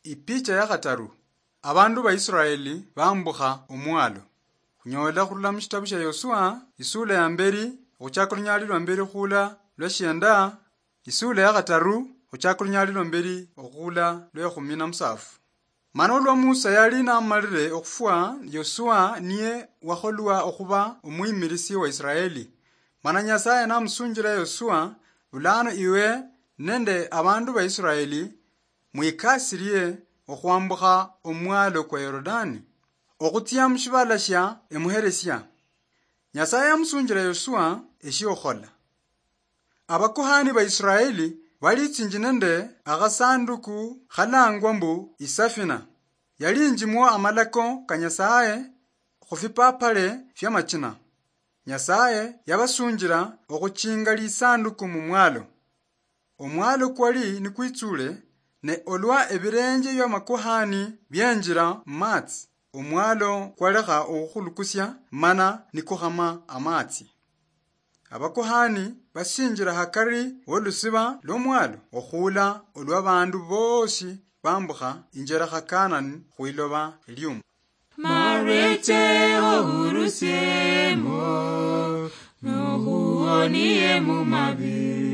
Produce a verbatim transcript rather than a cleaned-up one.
Ipicha ya khataru, abandu ba Israeli bambukha omwalo. Khunyola khurula mu shitabu shia Yosua, isula ya mberi, okhuchaka olunyali lwa mberi khula lwa shienda, isula ya khataru, okhuchaka olunyali lwa mberi okhula lwa ekhumi na musafu. Mana olwa Musa yali namalire okhufwa, Yosua niye wakholwa okhuba omwimirisi wa Israeli. Mana Nyasaye namusunjira Yosua, bulano iwe nende abandu ba Israeli mwikasirie okhwambukha omwalo kwa Yorodani, okhutsia mushibala shia emuheresia. Nyasaye yamusunjira Yosua eshiokhola. Abakuhani ba Israeli balitsinji nende akhasanduku khalangwa mbu isafina. Yalinjimwo amalako ka Nyasaye khufipapale fiamachina. Nyasaye yabasunjira okhuchinga lisanduku mumwalo. Omwalo kwali nikwitsule, ne olwa ebirenje bia makuhani bienjira mumatsi, omwalo kwalekha okhukhulukusia mana nikukhama amatsi. Abakuhani basinjira hakari wolusiba lwomwalo okhula olwa bandu bosi bambukha injerekha Kanani khwiloba eliumu. Marete ohurusiemo, nohuonie mumabi.